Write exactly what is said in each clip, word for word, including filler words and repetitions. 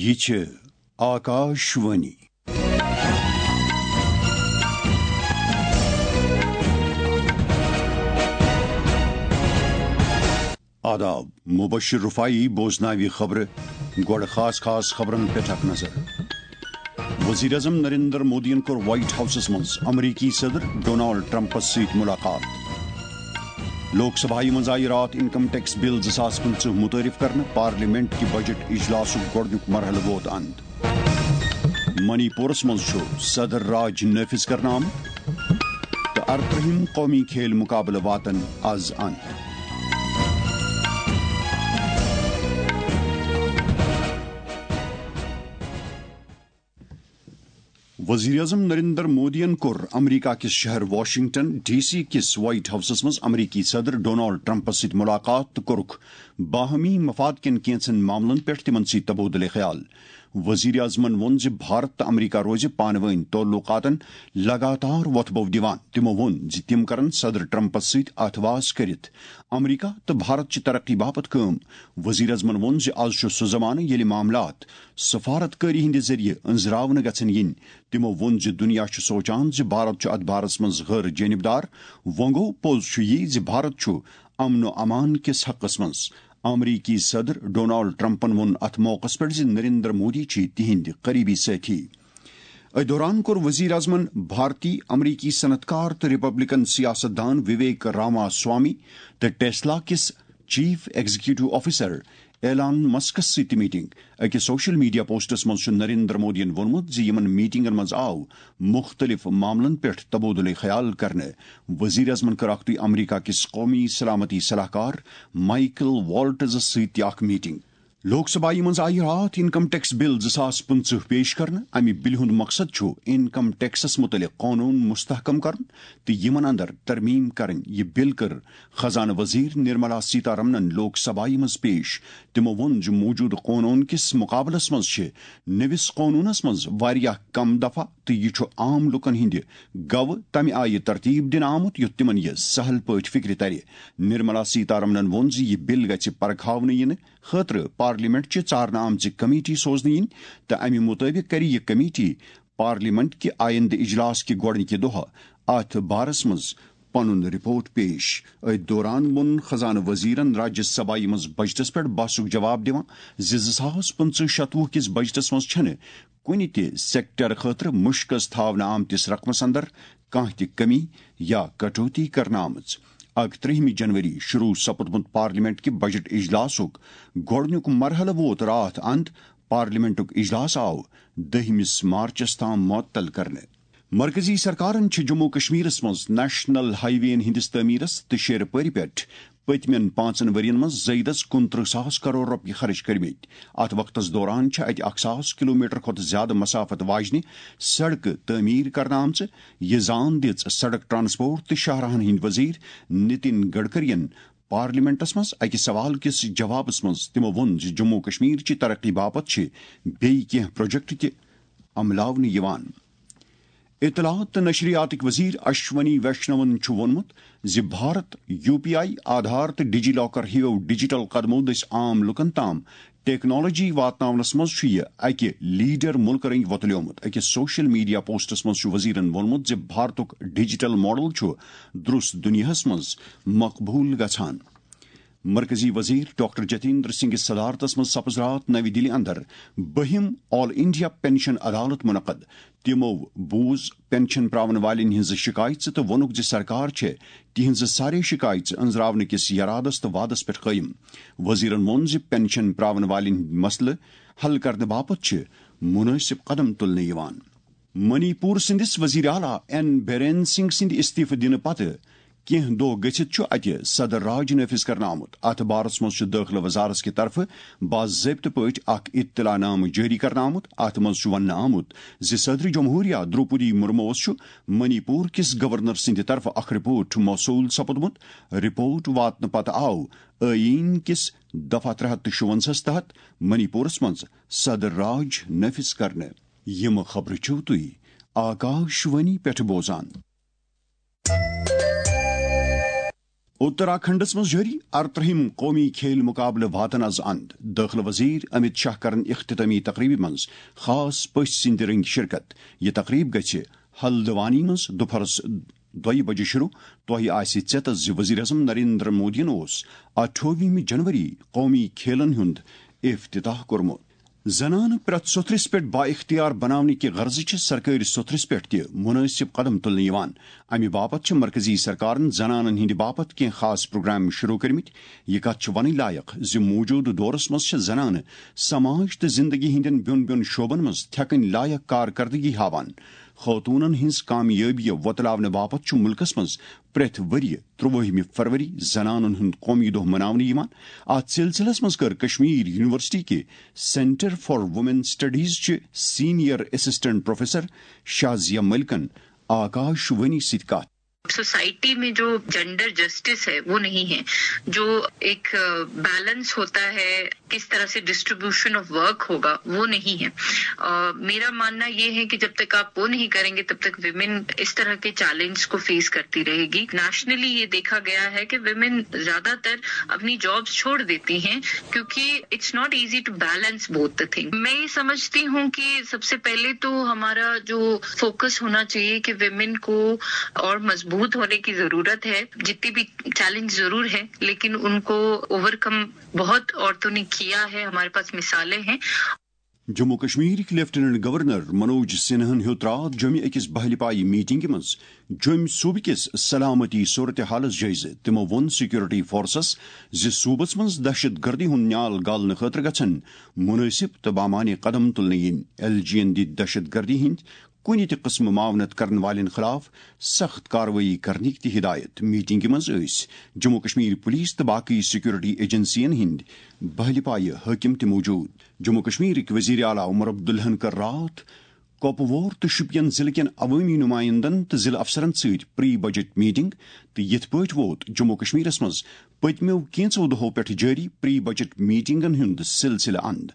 یہِ چھِ آکاش وانی۔ آداب، مبشر رفاعی بوزناوِ خبرٕ۔ گۄڈٕ خاص خاص خبرن پٮ۪ٹھ اکھ نظر۔ وزیر اعظم نریندر مودیَن کوٚر وائٹ ہاؤسَس منٛز امریکی صدر ڈونالڈ ٹرمپَس سۭتۍ ملاقات۔ لوک سبھایہِ منٛز آیہِ راتھ انکم ٹیکس بل زٕ ساس پٕنٛژٕہ متعارف کرنہٕ، پارلیمنٹ کہِ بجٹ اجلاسُک گۄڈٕنیُک مرحلہٕ ووت اند۔ منی پورس منٛز چھُ صدر راج نافذ کرنہٕ آمُت تہٕ ارترٛہِم قومی کھیل مقابلہٕ واتن از اند۔ وزیر اعظم نریندر مودیَن کوٚر امریکہ کِس شہر واشنگٹن ڈی سی کِس وائٹ ہاؤسَس منٛز امریکی صدر ڈونالڈ ٹرمپَس سۭتۍ ملاقات تہٕ کوٚرُکھ باہمی مفاد کٮ۪ن کینٛژن معاملن پٮ۪ٹھ تِمن سۭتۍ تبادلہ خیال۔ وزیر اعظمَن ووٚن زِ بھارت تہٕ امریکہ روزِ پانہٕ وٲنۍ تعلقاتن لگاتار وۄتھٕ بو دِوان۔ تِمو ووٚن زِ تِم کرن صدر ٹرمپَس سۭتۍ اتھٕ واس کٔرِتھ امریکہ تہٕ بھارت چہِ ترقی باپتھ کٲم۔ وزیر اعظمَن ووٚن زِ از چھُ سُہ زمانہٕ ییٚلہِ معاملات سفارت کٲری ہٕنٛدِ ذٔریعہٕ أنٛزراونہٕ گژھن یِنۍ۔ تِمو ووٚن زِ دُنیا چھُ سونٛچان زِ بھارت چھُ اتھ بارس منٛز غٲر جٲنبدار۔ وۄنۍ گوٚو، پوٚز چھُ یی زِ بھارت چھُ امن و امان کِس حقس منٛز۔ امریکی صدر ڈونالڈ ٹرمپن ووٚن اتھ موقعس پٮ۪ٹھ زِ نریندر مودی چھِ تِہنٛدۍ قریبی سٲتھی۔ أتھۍ دوران کوٚر وزیر اعظمن بھارتی امریکی صنعت کار تہٕ ریپبلکن سیاست دان وویک راما سوامی تہٕ ٹیسلا کِس چیف ایگزیکٹو آفیسر ایلان مسکس سۭتۍ تہِ میٹنگ۔ أکِس سوشل میڈیا پوسٹس منٛز چھُ نریندر مودیَن ووٚنمُت زِ یِمَن میٹنگن منٛز آو مُختٔلِف معاملن پٮ۪ٹھ تبادلہ خیال کرنہٕ۔ وزیر اعظمن کٔر اکھتُے امریکہ کِس قومی سلامتی صلاح کار مائیکل والٹزس سۭتۍ تہِ اکھ میٹنگ۔ لوک سبھایہِ منٛز آیہِ راتھ انکم ٹیکس بل زٕ ساس پٕنٛژٕہ پیش کرنہٕ۔ امہِ بلہِ ہُنٛد مقصد چھُ انکم ٹیکسس مُتعلق قونوٗن مستحکم کرُن تہٕ یِمن اندر ترمیم کرٕنۍ۔ یہِ بل کٔر خزانہٕ وزیر نرملا سیتارمنن لوک سبھایہ منٛز پیش۔ تِمو ووٚن زِ موجودٕ قونوٗن کِس مقابلس منٛز چھِ نٔوِس قونوٗنس منٛز واریاہ کم دفعہ تہٕ یہِ چھُ عام لوٗکن ہٕنٛدِ گوٚو تمہِ آیہِ ترتیب دِنہٕ آمُت یُتھ تِمن یہِ سہل پٲٹھۍ فکرِ ترِ۔ نرملا سیتارمنن ووٚن زِ یہِ بل گژھِ پرکھاونہٕ یِنہٕ خٲطرٕ پارلیمنٹ چہِ ژارنہٕ آمژِ کمیٹی سوزنہٕ یِنۍ تہٕ امہِ مُطٲبِق کرِ یہِ کمیٹی پارلیمنٹ کہِ آیندٕ اجلاس کہِ گۄڈٕنِکہِ دۄہہ اتھ بارس منٛز پنُن رپورٹ پیش۔ أتھۍ دوران ووٚن خزانہٕ وزیرن راجیہ سبھایہ منٛز بجٹس پٮ۪ٹھ بحثُک جواب دِوان زِ زٕ ساس پٕنٛژٕہ شتوُہ کِس بجٹس منٛز چھنہٕ کُنہِ تہِ سیکٹر خٲطرٕ مُشکس تھاونہٕ آمتِس رقمس اندر کانٛہہ تہِ کمی یا کٹوتی کرنہٕ آمٕژ۔ اکترٛہمہِ جنوری شروع سپُدمُت پارلیمنٹ کہِ بجٹ اجلاسُک گۄڈٕنیُک مرحلہٕ ووت راتھ اند۔ پارلیمنٹُک اجلاس آو دٔہمِس مارچس تام معطل کرنہٕ۔ مرکزی سرکارن چھِ جموں و کشمیرس منٛز نیشنل ہائی ویین ہٕنٛدِس تعمیرس تہٕ شیرٕ پٲرِ پٮ۪ٹھ پٔتمٮ۪ن پانٛژن ؤرین منٛز زٲیدس کُنترٕہ ساس کرور رۄپیہِ خرٕچ کٔرمٕتۍ۔ اتھ وقتس دوران چھِ اتہِ اکھ ساس کلومیٹر کھۄتہٕ زیادٕ مسافت واجنہِ سڑکہٕ تعمیٖر کرنہٕ آمژٕ۔ یہِ زان دِژ سڑک ٹرانسپورٹ تہٕ شاہراہن ہٕنٛدۍ وزیر نتن گڈکرین پارلیمنٹس منٛز اکہِ سوال کِس جوابس منٛز۔ تِمو ووٚن زِ جموں و کشمیر چہِ ترقی باپتھ چھِ بیٚیہِ کینٛہہ پروجیکٹ تہِ عملاونہٕ یِوان۔ اطلاعات تہٕ نشریاتٕکۍ وزیر اشونی ویشنون چھُ ووٚنمُت زِ Bharat U P I, Aadhaar تہٕ ڈیجی لاکر ہِویو ڈیجیٹل قدمو دٔسۍ عام لوٗکَن تام ٹیکنالوجی واتناونَس منٛز چھُ یہِ اَکہِ لیڈر مُلکہٕ رٔنگۍ وۄتلیومُت۔ أکِس سوشل میڈیا پوسٹَس منٛز چھُ وزیرَن ووٚنمُت زِ بھارتُک ڈیجیٹل ماڈل چھُ درست دُنیاہَس منٛز مقبوٗل گژھان۔ مرکزی وزیر ڈاکٹر جتیندر سنگھ صدارتس منٛز سپز راتھ نوی دِلہِ اندر بٔہِم آل انڈیا پینشن عدالت منعقد۔ تِمو بوٗز پینشن پراون والٮ۪ن ہٕنٛز شِکایژٕ تہٕ ووٚنُکھ زِ سرکار چھےٚ تِہنٛزٕ سارے شِکایژٕ أنٛزراونہٕ کِس یرادس تہٕ وعدس پٮ۪ٹھ قٲیِم۔ وزیرن ووٚن زِ پینشن پراون والٮ۪ن ہٕنٛدۍ مسلہٕ حل کرنہٕ باپتھ چھِ مُنٲسِب قدم تُلنہٕ یِوان۔ منی پور سٕنٛدِس وزیر اعلیٰ این بیرین سنگھ سٕنٛدِ استعفہٕ دِنہٕ پتہٕ کینٛہہ دۄہ گٔژھِتھ چھُ اتہِ صدر راج نافذ کرنہٕ آمُت۔ اتھ بارس منٛز چھُ دٲخلہٕ وزارت کہِ طرفہٕ باضٲبطہٕ پٲٹھۍ اکھ اطلاع نامہٕ جٲری کرنہٕ آمُت۔ اتھ منٛز چھُ وننہٕ آمُت زِ صدر جمہوریہ دروپدی مرموس چھُ منی پور کِس گورنر سٕنٛدِ طرفہٕ اکھ رپورٹ موصوٗل سپُدمُت۔ رپورٹ واتنہٕ پتہٕ آو ٲییٖن کِس دفعہ ترٛےٚ ہتھ تہٕ شُوَنزاہَس تحت منی پورس منٛز صدر راج نافذ کرنہٕ۔ یِم خبرٕ چھِو تُہۍ آکاش وانی پٮ۪ٹھ بوزان۔ اتراکھنڈس منٛز جٲری ارترٛہِم قومی کھیل مقابلہٕ واتن از اند۔ دٲخلہٕ وزیر امت شاہ کرن اختتامی تقریبہِ منٛز خاص پٔژھۍ سٕنٛدِ رٔنگۍ شرکت۔ یہِ تقریب گژھِ ہلدوانی منٛز دُپہرس دۄیہِ بجہِ شروع۔ تۄہہِ آسہِ ژیتس زِ وزیر اعظم نریندر مودیَن اوس اٹھووُہمہِ جنوری قومی کھیلن ہُنٛد افتتاح کوٚرمُت۔ زنانہٕ پرٛٮ۪تھ سوٚتھرِس پٮ۪ٹھ بااختیار بناونہٕ کہِ غرضہٕ چھِ سرکٲرۍ سوٚتھرِس پٮ۪ٹھ تہِ مُنٲسِب قدم تُلنہٕ یِوان۔ اَمہِ باپتھ چھِ مرکزی سرکارن زنانن ہٕنٛدِ باپتھ کینٛہہ خاص پروگرام شروع کٔرمٕتۍ۔ یہِ کتھ چھِ ونٕنۍ لایق زِ موجودٕ دورس منٛز چھِ زنانہٕ سماج تہٕ زندگی ہٕنٛدٮ۪ن بیوٚن بیوٚن شعبن منٛز تھٮ۪کٕنۍ لایق کارکردگی ہاوان۔ خاتوٗنن ہٕنٛز کامیٲبی وۄتلاونہٕ باپتھ چھُ مُلکس منٛز پرٛٮ۪تھ ؤرۍ یہِ ترٛوٲہمہِ فروری زنانن ہُنٛد قومی دۄہ مناونہٕ یِوان۔ اتھ سلسلس منٛز کٔر کشمیر یونیورسٹی کہِ Centre for Women Studies چہِ senior assistant professor شازیہ ملکن آکاش وانی سۭتۍ کتھ۔ سوسائٹی میں جو جینڈر جسٹس ہے وہ نہیں ہے، جو ایک بیلنس ہوتا ہے، کس طرح سے ڈسٹریبیوشن آف ورک ہوگا، وہ نہیں ہے۔ میرا ماننا یہ ہے کہ جب تک آپ وہ نہیں کریں گے تب تک ویمن اس طرح کے چیلنج کو فیس کرتی رہے گی۔ نیشنلی یہ دیکھا گیا ہے کہ ویمن زیادہ تر اپنی جابس چھوڑ دیتی ہیں کیونکہ it's not easy to balance both the thing۔ میں یہ سمجھتی ہوں کہ سب سے پہلے تو ہمارا جو فوکس ہونا چاہیے کہ ویمن کو اور مضبوط ہونے کی ضرورت ہے۔ جتنی بھی چیلنج ضرور ہے لیکن ان کو اوور کم بہت عورتوں نے کیا ہے، ہمارے پاس مثالیں ہیں۔ جموں کشمیرٕکۍ لیفٹیننٹ گورنر منوج سنہن ہیوٚت راتھ جوٚمہِ أکِس بہلہِ پایہِ میٹنگہِ منٛز جوٚمہِ صوبہٕ کِس سلامتی صورتحالس جٲیزٕ۔ تِمو ووٚن سیکورٹی فورسس زِ صوبس منٛز دہشت گردی ہُنٛد نیال گالنہٕ خٲطرٕ گژھن مُنٲسِب تہٕ بامعنی قدم تُلنہٕ یِنۍ۔ ایل جی ین دِتۍ دہشت گردی ہٕنٛدۍ کُنہِ تہِ قٕسمہٕ معاونت کرن والٮ۪ن خلاف سخت کاروٲیی کرنٕکۍ تہِ ہدایت۔ میٹنگہِ منٛز ٲسۍ جموں کشمیر پولیس تہٕ باقٕے سیکورٹی ایجنسین ہٕنٛدۍ بہلہِ پایہِ حٲکم تہِ موجود۔ جموں کشمیرٕکۍ وزیر اعلیٰ عمر عبداللہن کٔر راتھ کۄپوور تہٕ شوپین ضلعہٕ کٮ۪ن عوٲمی نمائندن تہٕ ضلعہٕ افسرن سۭتۍ پری بجٹ میٹنگ، تہٕ یِتھ پٲٹھۍ ووت جموں کشمیرس منٛز پٔتمیو کینٛژو دۄہو پٮ۪ٹھ جٲری پری بجٹ میٹنگن ہُنٛد سلسلہٕ اند۔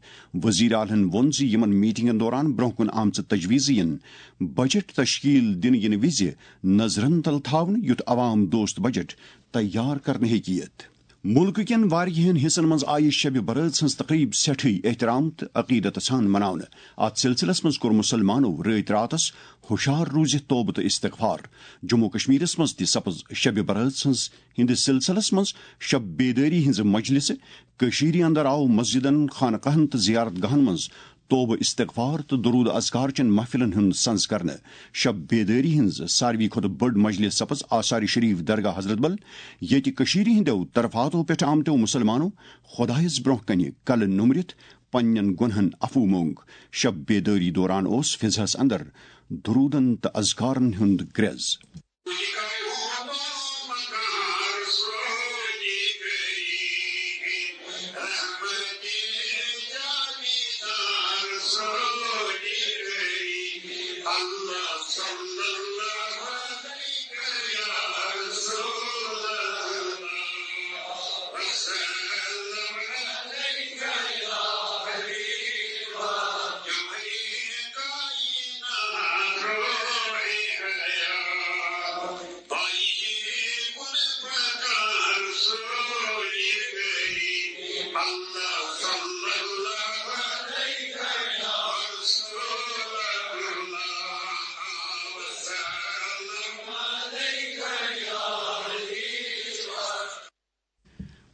وزیر اعلیٰ ہن ووٚن زِ یِمن میٹنگن دوران برونٛہہ کُن آمژٕ تجویزٕ یِن بجٹ تشکیل دِنہٕ یِنہٕ وِزِ نظرن تل تھاونہٕ، یُتھ عوام دوست بجٹ تیار کرنہٕ ہیٚکہِ یِتھ۔ مُلکہٕ کٮ۪ن واریاہن حصن منٛز آیہِ شبِ برٲژ ہٕنٛز تقریب سٮ۪ٹھٕے احترام تہٕ عقیدت سان مناونہٕ۔ اتھ سلسلس منٛز کوٚر مُسلمانو رٲتۍ راتس ہُشار روٗزِتھ توبہٕ تہٕ استغفار۔ جموں کشمیرس منٛز تہِ سپٕز شبِ برٲژ ہٕنٛز ہٕنٛدِس سلسلس منٛز شب بیدٲری ہٕنٛزٕ مجلسہٕ۔ کٔشیٖرِ اندر آو مسجدن، خانقاہن تہٕ زیارت گاہن منٛز توبہٕ استغفار تہٕ درود اذکار چٮ۪ن محفلن ہُنٛد سنز کرنہٕ۔ شب بیدٲری ہٕنٛز ساروی کھۄتہٕ بٔڑ مجلس سپٕز آثار شریف درگاہ حضرت بل، ییٚتہِ کٔشیٖرِ ہٕنٛدیو طرفاتو پٮ۪ٹھ آمتیو مُسلمانو خۄدایس برونٛہہ کنہِ کلہٕ نومرِتھ پننٮ۪ن گۄنہن عفو مونگ۔ شب بیدٲری دوران اوس فضحس اندر درودن تہٕ اذکارن ہُنٛد گرٛٮ۪ز۔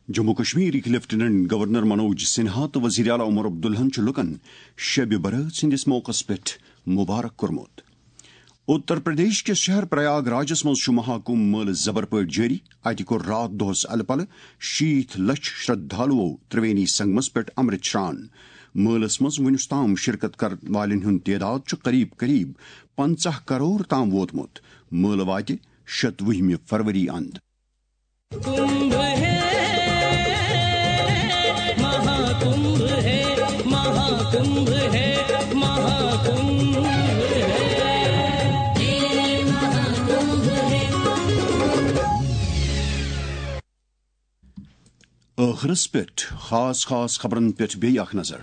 جموں کشمیرٕکۍ لیفٹیننٹ گورنر منوج سنہا تہٕ وزیر اعلیٰ عمر عبداللہن چھُ لوٗکن شبِ برات سٕنٛدِس موقعس پٮ۪ٹھ مبارک کوٚرمُت۔ اتر پردیش کِس شہر پریاگ راجس منٛز چھُ مہاکمبھ مٲلہٕ زبر پٲٹھۍ جٲری۔ اتہِ کوٚر راتھ دۄہس الہٕ پلہٕ شیٖتھ لچھ شردھالوو ترٛوینی سنگمس پٮ۪ٹھ امرت شران۔ مٲلس منٛز وُنیُس تام شرکت کرن والٮ۪ن ہُنٛد تعداد چھُ قریب قریب پنٛژاہ کرور تام ووتمُت۔ مٲلہٕ واتہِ شتوُہمہِ فروری اند۔ कुंभ है, महाकुंभ है, महाकुंभ है, महाकुंभ है। ٲخرس پٮ۪ٹھ خاص خاص خبرن پٮ۪ٹھ بیٚیہِ اکھ نظر۔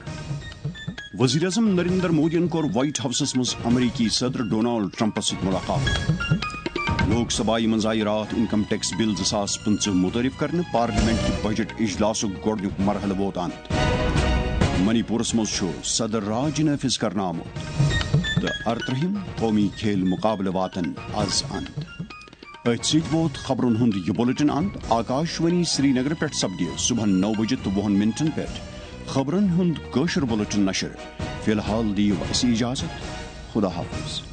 وزیر اعظم نریندر مودیَن کوٚر وائٹ ہاؤسَس منٛز امریکی صدر ڈونالڈ ٹرمپَس سۭتۍ ملاقات۔ لوک سبھایہ منٛز آیہِ راتھ انکم ٹیکس بل زٕ ساس پٕنٛژٕہ متعارف کرنہٕ، پارلیمنٹ کہِ بجٹ اجلاسُک گۄڈٕنیُک مرحلہٕ ووت اند۔ منی پورس منٛز چھُ صدر راج نافذ کرنہٕ آمُت۔ تہٕ ارترٛہِم قومی کھیل مقابلہٕ واتن از اند۔ أتھۍ سۭتۍ ووت خبرن ہُنٛد یہِ بلیٹن اند۔ آکاش وانی سرینگر پٮ۪ٹھ سپدِ صبحن نو بجہِ تہٕ وُہن منٹن پٮ۪ٹھ خبرن ہُنٛد کٲشُر بلیٹن نشر۔ فی الحال دِیِو اسہِ اجازت۔ خدا حافظ۔